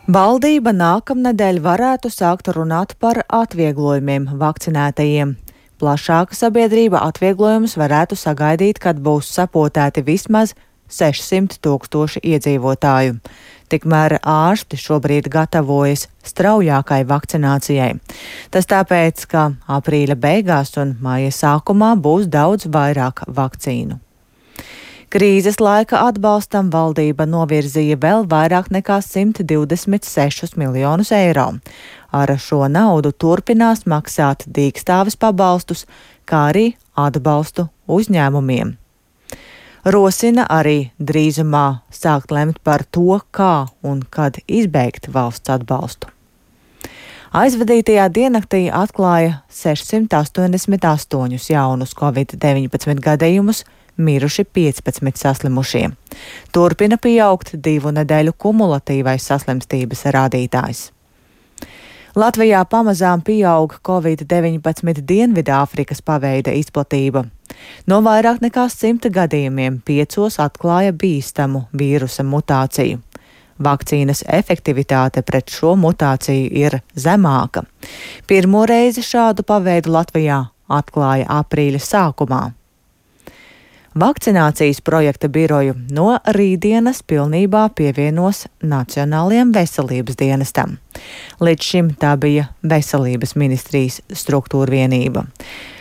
Valdība nākamnedēļ varētu sākt runāt par atvieglojumiem vakcinētajiem. Plašāka sabiedrība atvieglojumus varētu sagaidīt, kad būs sapotēti vismaz 600 000 iedzīvotāju. Tikmēr ārsti šobrīd gatavojas straujākai vakcinācijai. Tas tāpēc, ka aprīļa beigās un maija sākumā būs daudz vairāk vakcīnu. Krīzes laika atbalstam valdība novirzīja vēl vairāk nekā 126 miljonus eiro. Ar šo naudu turpinās maksāt dīkstāves pabalstus, kā arī atbalstu uzņēmumiem. Rosina arī drīzumā sākt lemt par to, kā un kad izbeigt valsts atbalstu. Aizvadītajā diennaktī atklāja 688 jaunus Covid-19 gadījumus, miruši 15 saslimušie. Turpina pieaugt 2 nedēļu kumulatīvais saslimstības rādītājs. Latvijā pamazām pieaug Covid-19 Dienvidāfrikas paveida izplatība. No vairāk nekā 100 gadījumiem 5 atklāja bīstamu vīrusa mutāciju. Vakcīnas efektivitāte pret šo mutāciju ir zemāka. Pirmo reizi šādu paveidu Latvijā atklāja aprīļa sākumā. Vakcinācijas projekta biroju no rītdienas pilnībā pievienos Nacionālajiem veselības dienestam. Līdz šim tā bija Veselības ministrijas struktūra vienība.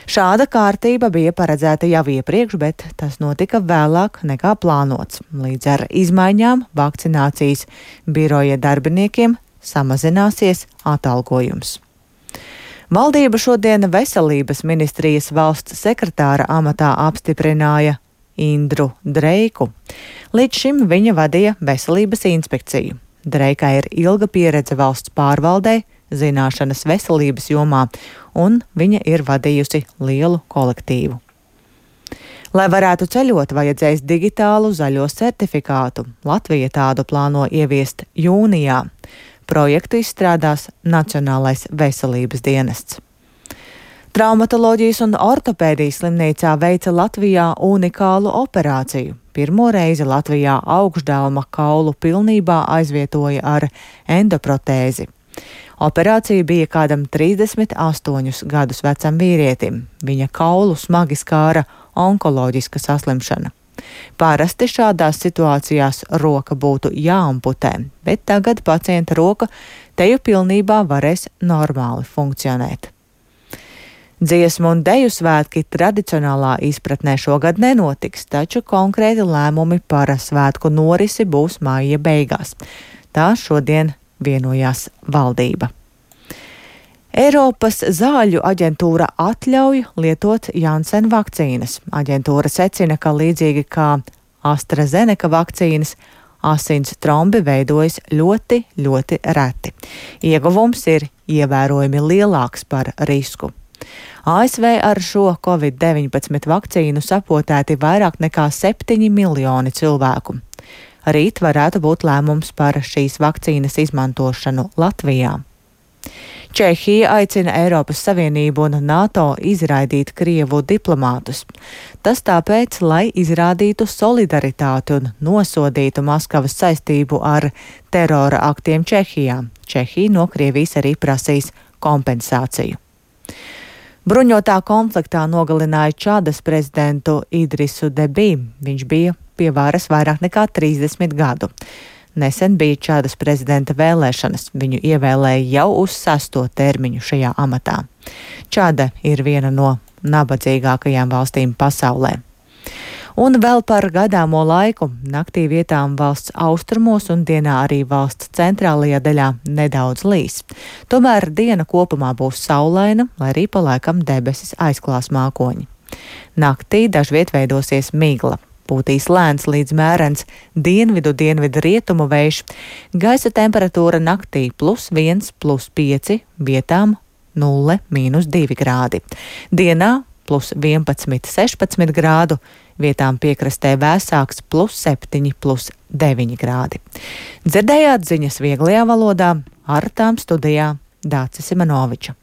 Šāda kārtība bija paredzēta jau iepriekš, bet tas notika vēlāk nekā plānots. Līdz ar izmaiņām vakcinācijas biroja darbiniekiem samazināsies atalgojums. Valdība šodien Veselības ministrijas valsts sekretāra amatā apstiprināja Indru Dreiku. Līdz šim viņa vadīja Veselības inspekciju. Dreikai ir ilga pieredze valsts pārvaldē, zināšanas veselības jomā, un viņa ir vadījusi lielu kolektīvu. Lai varētu ceļot, vajadzēs digitālu zaļo certifikātu. Latvija tādu plāno ieviest jūnijā. Projektu izstrādās Nacionālais veselības dienests. Traumatoloģijas un ortopēdijas slimnīcā veica Latvijā unikālu operāciju. Pirmo reizi Latvijā augšdelma kaulu pilnībā aizvietoja ar endoprotēzi. Operācija bija kādam 38 gadus vecam vīrietim. Viņa kaulu smagi skāra onkoloģiska saslimšana. Parasti šādās situācijās roka būtu jāamputē, bet tagad pacienta roka teju pilnībā varēs normāli funkcionēt. Dziesmu un deju svētki tradicionālā izpratnē šogad nenotiks, taču konkrēti lēmumi par svētku norisi būs maija beigās. Tā šodien vienojās valdība. Eiropas zāļu aģentūra atļauj lietot Janssen vakcīnas. Aģentūra secina, ka līdzīgi kā AstraZeneca vakcīnas, asins trombi veidojas ļoti reti. Ieguvums ir ievērojami lielāks par risku. ASV ar šo Covid-19 vakcīnu sapotēti vairāk nekā 7 miljoni cilvēku. Rīt varētu būt lēmums par šīs vakcīnas izmantošanu Latvijā. Čehija aicina Eiropas Savienību un NATO izraidīt Krievu diplomātus. Tas tāpēc, lai izrādītu solidaritāti un nosodītu Maskavas saistību ar terora aktiem Čehijā. Čehija no Krievijas arī prasīs kompensāciju. Bruņotā konfliktā nogalināja Čadas prezidentu Idrisu Debī. Viņš bija pie varas vairāk nekā 30 gadu. Nesen bija Čadas prezidenta vēlēšanas. Viņu ievēlēja jau uz 6. termiņu šajā amatā. Čada ir viena no nabadzīgākajām valstīm pasaulē. Un vēl par gaidāmo laiku. Naktī vietām valsts austrumos un dienā arī valsts centrālajā daļā nedaudz līs. Tomēr diena kopumā būs saulaina, lai arī pa laikam debesis aizklās mākoņi. Naktī dažviet veidosies migla. Pūtīs lēns līdz mērens dienvidu rietumu vējš. Gaisa temperatūra naktī +1, +5, vietām 0, -2 grādi. Dienā +11, 16 grādu, vietām piekrastē vēsāks +7, +9 grādi. Dzirdējāt ziņas vieglajā valodā, ar tām studijā Dācis Simanoviča.